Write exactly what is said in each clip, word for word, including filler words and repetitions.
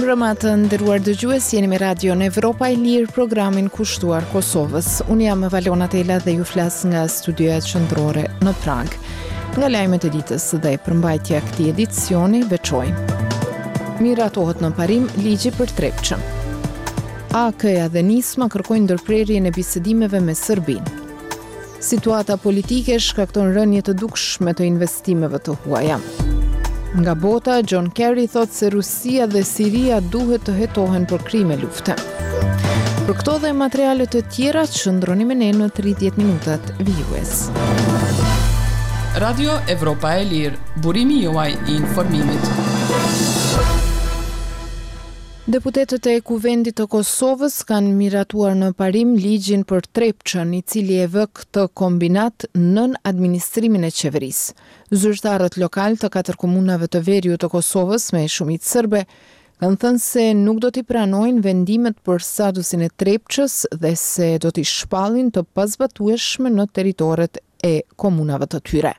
Mirëmbrëma të nderuar dëgjues, jeni me Radion Evropa e Lirë, programin kushtuar Kosovës. Unë jam Valona Tela dhe ju flas nga studioja qendrore në Pragë. Nga lajmet e ditës dhe përmbajtja e këtij edicioni veçojmë. Miratohet në parim ligji për Trepçën. A A K-ja dhe Nisma kërkojnë ndërprerjen e bisedimeve me Serbinë. Situata politike shkakton rënie të dukshme të investimeve të huaja. Nga bota, John Kerry thotë se Rusia dhe Siria duhet të hetohen për krime lufte. Për këto dhe materiale të tjera, qëndroni me ne në tridhjetë minutat vijues. Radio Evropa e Lirë, burimi juaj i informimit. Deputetët e Kuvendit të Kosovës kanë miratuar në parim ligjin për Trepçën, i cili e vë këtë kombinat nën administrimin e qeverisë. Zyrtarët lokal të katër komunave të veriut të Kosovës me shumicë serbe kanë thënë se nuk do t'i pranojnë vendimet për statusin e Trepçës dhe se do t'i shpallin të pazbatueshme në territoret e komunave të tyre.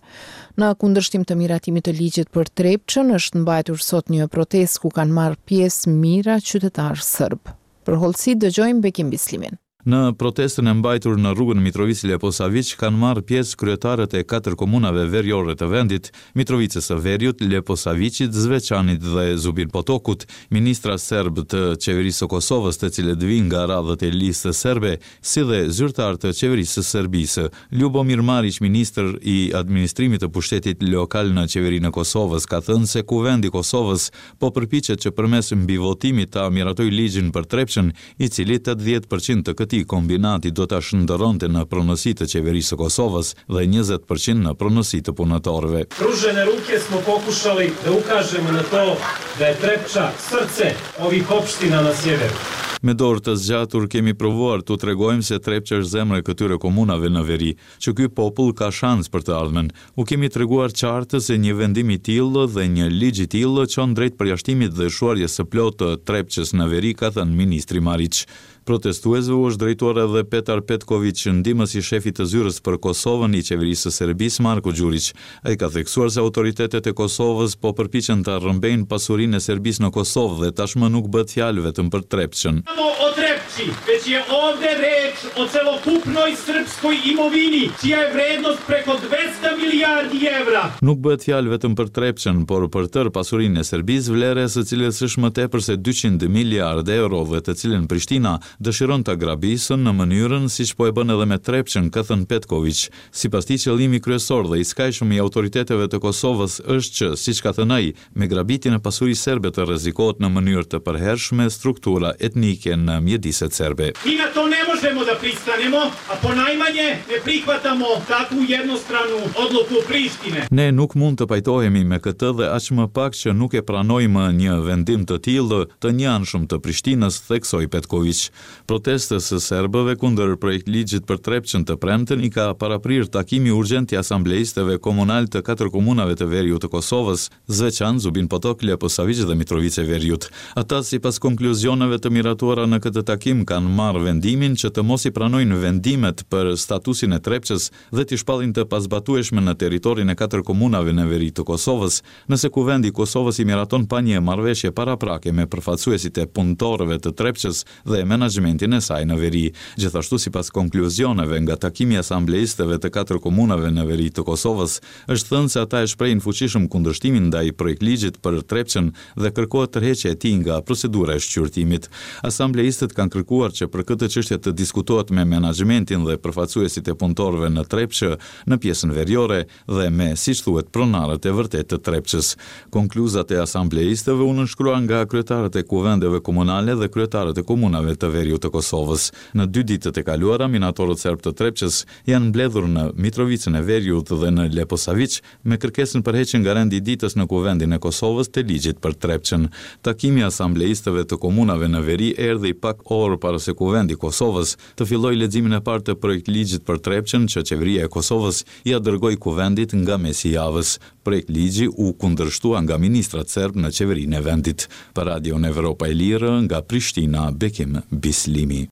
Në kundërshtim të miratimit të ligjit për Trepçën është mbajtur sot një protestë ku kanë marrë pjesë mijëra qytetarë serb. Për hollësi dëgjojmë Bekim Bislimin. Në protestën e mbajtur në rrugën Mitrovicë Leposaviq kanë marrë pjesë kryetarët e katër komunave veriore të vendit, Mitrovicës së Veriut, Leposaviqit, Zveçanit dhe Zubin Potokut, ministra serb të qeverisë së Kosovës, të cilët vijnë nga radhët e listës serbe, si dhe zyrtar të qeverisë së Serbisë. Ljubomir Mariq, ministër i administrimit të pushtetit lokal në qeverinë e Kosovës, ka thënë se Kuvendi i Kosovës po përpiqet që përmes mbivotimit ta miratojë ligjin për Trepçën, i cili tetëdhjetë për qind të këtij kombinati do ta shndërronte në pronësi të qeverisë së Kosovës dhe njëzet për qind në pronësi të punëtorëve. Pružene ruke smo pokušali da ukažemo na to da je Trepča srce ovih opština na sjeveru. Me dorë të zgjatur kemi provuar t'u tregojmë se Trepça është zemra e këtyre komunave në veri, që ky popull ka shans për të ardhmen. U kemi treguar qartë se një vendim i tillë dhe një ligj i tillë çon drejt përjashtimit dhe shuarjes së plotë të Trepçës në veri, ka thënë ministri Mariq. Protestuesve u është drejtuar edhe Petar Petkoviq, ndihmës i shefit të zyrës për Kosovën i qeverisë së Serbisë, Marko Gjuriq. Ai ka theksuar se autoritetet e Kosovës po përpiqen ta rrëmbejnë pasurinë e Serbisë në Kosovë dhe tashmë nuk bëhet fjalë vetëm për Trepçën. Samo o Trepči, već je ovde reč o celokupnoj srpskoj imovini, čija je vrednost preko dvesta milijardi evra. Nuk bëhet fjalë vetëm për Trepçën, por për tërë pasurinë e Serbisë, vlera e së cilës është më tepër se dyqind miliardë euro dhe të cilën Prishtina dëshiron ta grabisë në mënyrën siç po e bën edhe me Trepçën, ka thënë Petkoviq. Sipas tij, qëllimi kryesor dhe i skajshëm i autoriteteve të Kosovës është që, siç ka thënë ai, me grabitjen e pasurisë serbe të rrezikohet në mënyrë të përhershme struktura etnike në mjediset serbe. Mi na to ne možemo da pristanemo, a ponajmanje ne prihvatamo takvu jednostranu odluku Prištine. Ne nuk mund të pajtohemi me këtë dhe aq më pak që nuk e pranojmë një vendim të tillë të njëanshëm të Prishtinës, theksoi Petkoviq. Protestës së serbëve kundër projektligjit për Trepçën të premten i ka paraprirë takimi urgjent i asambleistëve komunal të katër komunave të veriut të Kosovës, Zveçan, Zubin Potok, Leposaviq dhe Mitrovicë e Veriut. Ata, sipas konkluzioneve të miratuara në këtë takim, kanë marrë vendimin që të mos i pranojnë vendimet për statusin e Trepçës dhe t'i shpallin të pazbatueshme në territorin e katër komunave në veri të Kosovës, nëse Kuvendi i Kosovës i miraton pa një marrëveshje paraprake me përfaqësuesit e punëtorëve të Trepçës dhe menaxhmentin e saj në veri. Gjithashtu, sipas konkluzioneve nga takimi i asambleistëve të katër komunave në veri të Kosovës, është thënë se ata e shprehin fuqishëm kundërshtimin ndaj projektligjit për Trepçën dhe kërkohet tërheqja e tij nga procedura e shqyrtimit. Asambleistët kanë kërkuar që për këtë çështje të diskutohet me menaxhmentin dhe përfaqësuesit e punëtorëve në Trepçë në pjesën veriore dhe me, siç thuhet, pronarët e vërtetë të Trepçës. Konkluzat e asambleistëve u nënshkruan nga kryetarët e kuvendeve komunale dhe kryetarët e komunave të veriut të Kosovës. Në dy ditët e kaluara, minatorët serb të Trepçës janë mbledhur në Mitrovicën e Veriut dhe në Leposaviq me kërkesën për heqjen nga rendi i ditës në Kuvendin e Kosovës të ligjit për Trepçën. Takimi i asambleistëve të komunave në veri erdhi pak orë para se Kuvendi i Kosovës të fillojë leximin e parë të projektligjit për Trepçën që qeveria e Kosovës ia dërgoi Kuvendit nga mesi i javës. Projektligji u kundërshtua nga ministrat serb në qeverinë e vendit. Për Radion Evropa e Lirë, nga Prishtina, Bekim Bislimi.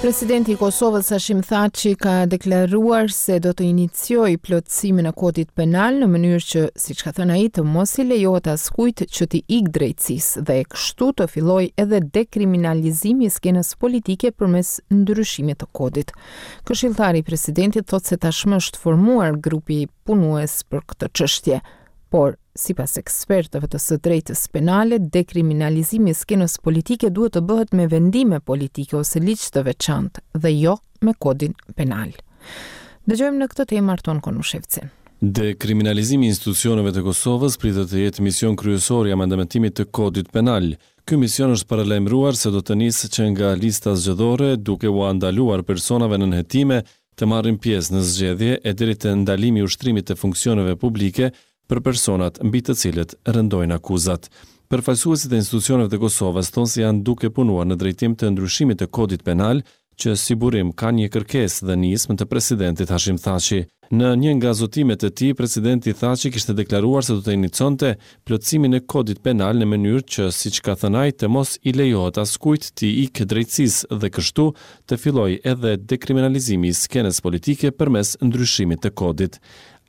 Presidenti i Kosovës Hashim Thaçi ka deklaruar se do të iniciojë plotësimin e kodit penal në mënyrë që, siç ka thënë ai, të mos i lejohet askujt që t'i ikë drejtësisë dhe kështu të fillojë edhe dekriminalizimi i skenës politike përmes ndryshimit të kodit. Këshilltari i presidentit thotë se tashmë është formuar grupi punues për këtë çështje. Por, sipas ekspertëve të së drejtës penale, dekriminalizimi i skenës politike duhet të bëhet me vendime politike ose ligj të veçantë dhe jo me kodin penal. Dëgjojmë në këtë temë Arton Konushevcin. Dekriminalizimi i institucioneve të Kosovës pritet të jetë mision kryesor i amendamentimit të kodit penal. Ky mision është paralajmëruar se do të nisë që nga lista zgjedhore, duke ua ndaluar personave nën hetime të marrin pjesë në zgjedhje e deri te ndalimi i ushtrimit të funksioneve publike për personat mbi të cilët rëndojnë akuzat. Përfaqësuesit e institucioneve të Kosovës thonë se janë duke punuar në drejtim të ndryshimit të kodit penal, që si burim ka një kërkesë dhe nismë të presidentit Hashim Thaçi. Në një nga zotimet e tij, presidenti Thaçi kishte deklaruar se do të inicionte plotësimin e kodit penal në mënyrë që, siç ka thënë ai, të mos i lejohet askujt t'i ikë drejtësisë dhe kështu të fillojë edhe dekriminalizimi i skenës politike përmes ndryshimit të kodit.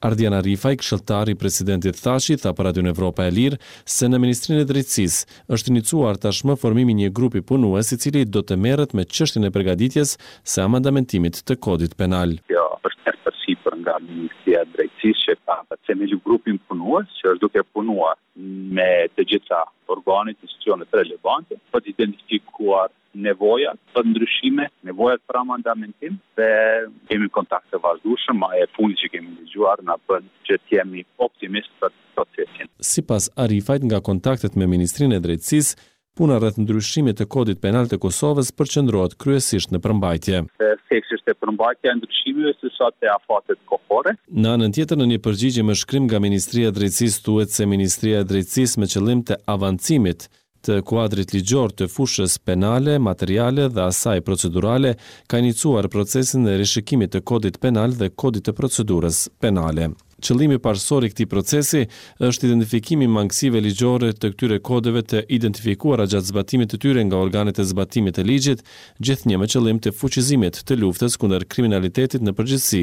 Ardian Arifaj, këshilltar i presidentit Thaçi, tha për Radion Evropa e Lirë se në Ministrinë e Drejtësisë është inicuar tashmë formimi i një grupi punues i cili do të merret me çështjen e përgatitjes së amendamentimit të kodit penal. Kjo është e përsipër nga Ministria e Drejtësisë që ka themelu grupin punues që është duke punuar me të gjitha organet, institucionet relevante për të identifikuar nevojat për ndryshime, nevojat për amendamentim dhe kemi kontakt të vazhdueshëm, e fundit që kemi dëgjuar na bën që të jemi optimist për procesin. Sipas Arifajt, nga kontaktet me Ministrinë e Drejtësisë, puna rreth ndryshimit të kodit penal të Kosovës përqendrohet kryesisht në përmbajtje. Theksi është te përmbajtja e ndryshimeve se sa te afatet kohore. Në anën tjetër, në një përgjigje me shkrim nga Ministria e Drejtësisë thuhet se Ministria e Drejtësisë me qëllim të avancimit të kuadrit ligjor të fushës penale, materiale dhe asaj procedurale ka inicuar procesin e rishikimit të kodit penal dhe kodit të procedurës penale. Qëllimi parësor i këtij procesi është identifikimi i mangësive ligjore të këtyre kodeve të identifikuara gjatë zbatimit të tyre nga organet e zbatimit të ligjit, gjithnjë me qëllim të fuqizimit të luftës kundër kriminalitetit në përgjithësi,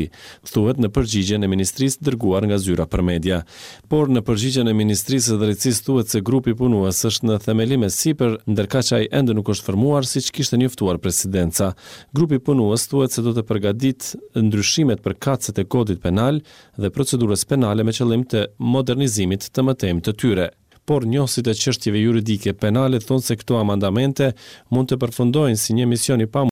thuhet në përgjigjen e Ministrisë dërguar nga zyra për media. Por në përgjigjen e Ministrisë së Drejtësisë thuhet se grupi punues është në themelim e sipër, ndërkaq ai ende nuk është formuar siç kishte njoftuar presidenca. Grupi punues thuhet se do të përgatitë ndryshimet përkatëse të kodit penal dhe procedurës penale me qëllim të modernizimit të mëtejmë të tyre. Por njohësit e çështjeve juridike penale thonë se këto amendamente mund të përfundojnë si një mision i pamundur